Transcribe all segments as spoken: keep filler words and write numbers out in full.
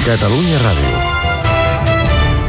Catalunya Ràdio.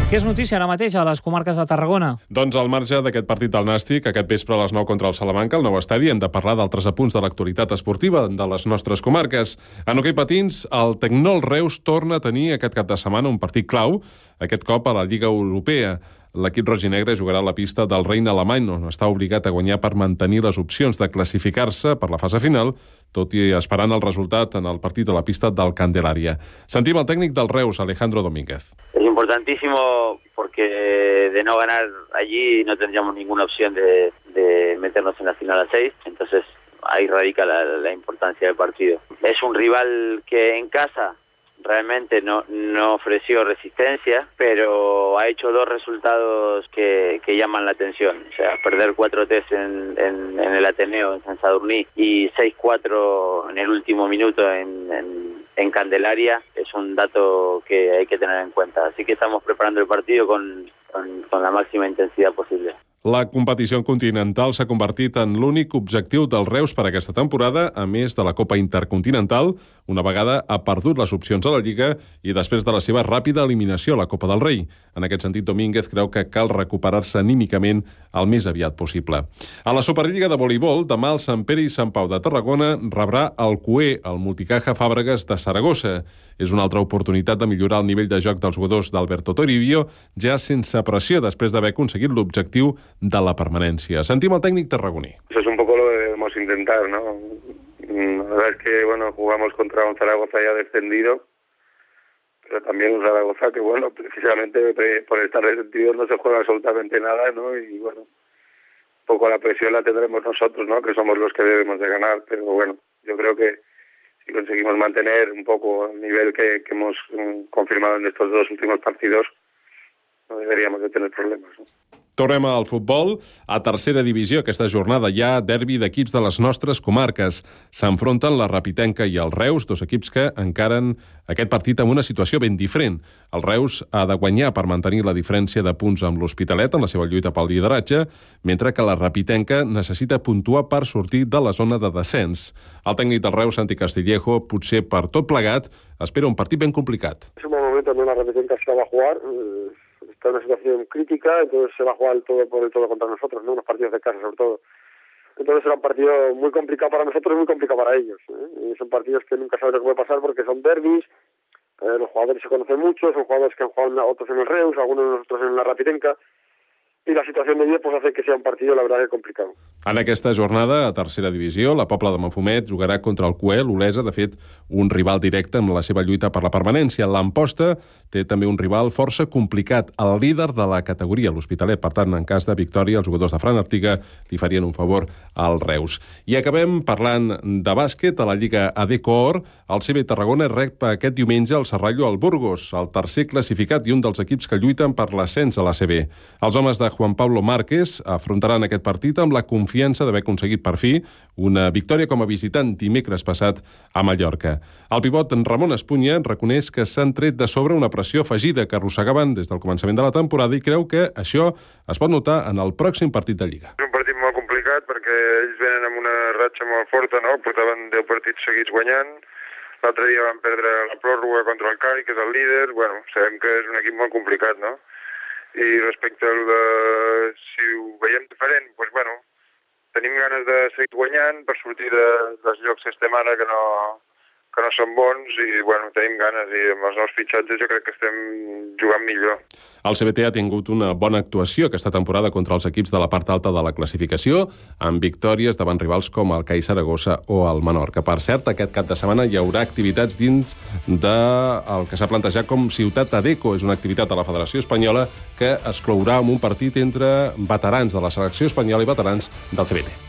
Què és notícia ara mateix a les comarques de Tarragona? Doncs al marge d'aquest partit del Nàstic, aquest vespre a les nou contra el Salamanca, al nou estadi, hem de parlar d'altres apunts de l'actualitat esportiva de les nostres comarques. En hoquei patins, el Tecnol Reus torna a tenir aquest cap de setmana un partit clau, aquest cop a la Lliga Europea. L'equip roginegre jugarà a la pista del Reina Alemany, on està obligat a guanyar per mantenir les opcions de classificar-se per la fase final, tot i esperant el resultat en el partit de la pista del Candelaria. Sentim el tècnic del Reus, Alejandro Domínguez. Es importantísimo porque de no ganar allí no tendríamos ninguna opción de, de meternos en la final a seis, entonces ahí radica la, la importancia del partido. Es un rival que en casa realmente no, no ofreció resistencia, pero ha hecho dos resultados que, que llaman la atención. O sea, perder cuatro tres en, en, en el Ateneo, en San Sadurní, y seis cuatro en el último minuto en, en, en Candelaria, es un dato que hay que tener en cuenta. Así que estamos preparando el partido con, con, con la máxima intensidad posible. La competició continental s'ha convertit en l'únic objectiu del Reus per aquesta temporada, a més de la Copa Intercontinental. Una vegada ha perdut les opcions a la Lliga i després de la seva ràpida eliminació a la Copa del Rei. En aquest sentit, Domínguez creu que cal recuperar-se anímicament el més aviat possible. A la Superliga de voleibol, demà el Sant Pere i Sant Pau de Tarragona rebrà el Cué, el Multicaja Fàbregas de Saragossa. És una altra oportunitat de millorar el nivell de joc dels jugadors d'Alberto Toribio, ja sense pressió després d'haver aconseguit l'objectiu de la permanència. Sentim el tècnic tarragoní. Eso es un poco lo que debemos intentar, ¿no? La verdad es que, bueno, jugamos contra un Zaragoza ya descendido, pero también un Zaragoza que, bueno, precisamente por estar descendido no se juega absolutamente nada, ¿no? Y, bueno, un poco la presión la tendremos nosotros, ¿no? Que somos los que debemos de ganar, pero, bueno, yo creo que si conseguimos mantener un poco el nivel que, que hemos um, confirmado en estos dos últimos partidos, no deberíamos de tener problemas, ¿no? Tornem al futbol. A tercera divisió, aquesta jornada hi ha derbi d'equips de les nostres comarques. S'enfronten la Rapitenca i el Reus, dos equips que encaren aquest partit amb una situació ben diferent. El Reus ha de guanyar per mantenir la diferència de punts amb l'Hospitalet en la seva lluita pel lideratge, mentre que la Rapitenca necessita puntuar per sortir de la zona de descens. El tècnic del Reus, Santi Castillejo, potser per tot plegat, espera un partit ben complicat. És un bon moment on la Rapitenca se va a jugar. Está en una situación crítica, entonces se va a jugar el todo por el todo contra nosotros, ¿no? Unos partidos de casa sobre todo. Entonces será un partido muy complicado para nosotros y muy complicado para ellos, ¿eh? Y son partidos que nunca sabes lo que puede pasar porque son derbis, eh, los jugadores se conocen mucho, son jugadores que han jugado otros en el Reus, algunos de nosotros en la Rapitenca, i la situació de dia pues, hace que sea un partido, la verdad, que complicat. En aquesta jornada, a tercera divisió, la Pobla de Mafumet jugarà contra el Cué, l'Olesa, de fet, un rival directe en la seva lluita per la permanència. L'Amposta té també un rival força complicat, el líder de la categoria, l'Hospitalet. Per tant, en cas de victòria, els jugadors de Fran Artiga li farien un favor al Reus. I acabem parlant de bàsquet. A la Lliga A D Coor, el C B Tarragona rep aquest diumenge el Serrallo al Burgos, el tercer classificat i un dels equips que lluiten per l'ascens a la C B. Els homes de Juan Pablo Márquez afrontaran aquest partit amb la confiança d'haver aconseguit per fi una victòria com a visitant dimecres passat a Mallorca. El pivot Ramon Espunya reconeix que s'han tret de sobre una pressió afegida que arrossegaven des del començament de la temporada i creu que això es pot notar en el pròxim partit de Lliga. És un partit molt complicat perquè ells venen amb una ratxa molt forta, no? Portaven deu partits seguits guanyant. L'altre dia van perdre la pròrroga contra el Cari, que és el líder. Bueno, sabem que és un equip molt complicat, no? I respecte al de si ho veiem diferent, doncs, bueno, tenim ganes de seguir guanyant per sortir de, dels llocs que estem ara que no, que no són bons i, bueno, tenim ganes i amb els nous fitxatges jo crec que estem jugant millor. El C B T ha tingut una bona actuació aquesta temporada contra els equips de la part alta de la classificació, amb victòries davant rivals com el C A I Saragossa o el Menorca. Per cert, aquest cap de setmana hi haurà activitats dins del que s'ha plantejat com Ciutat Adeco. És una activitat de la Federació Espanyola que es clourà amb un partit entre veterans de la selecció espanyola i veterans del C B T.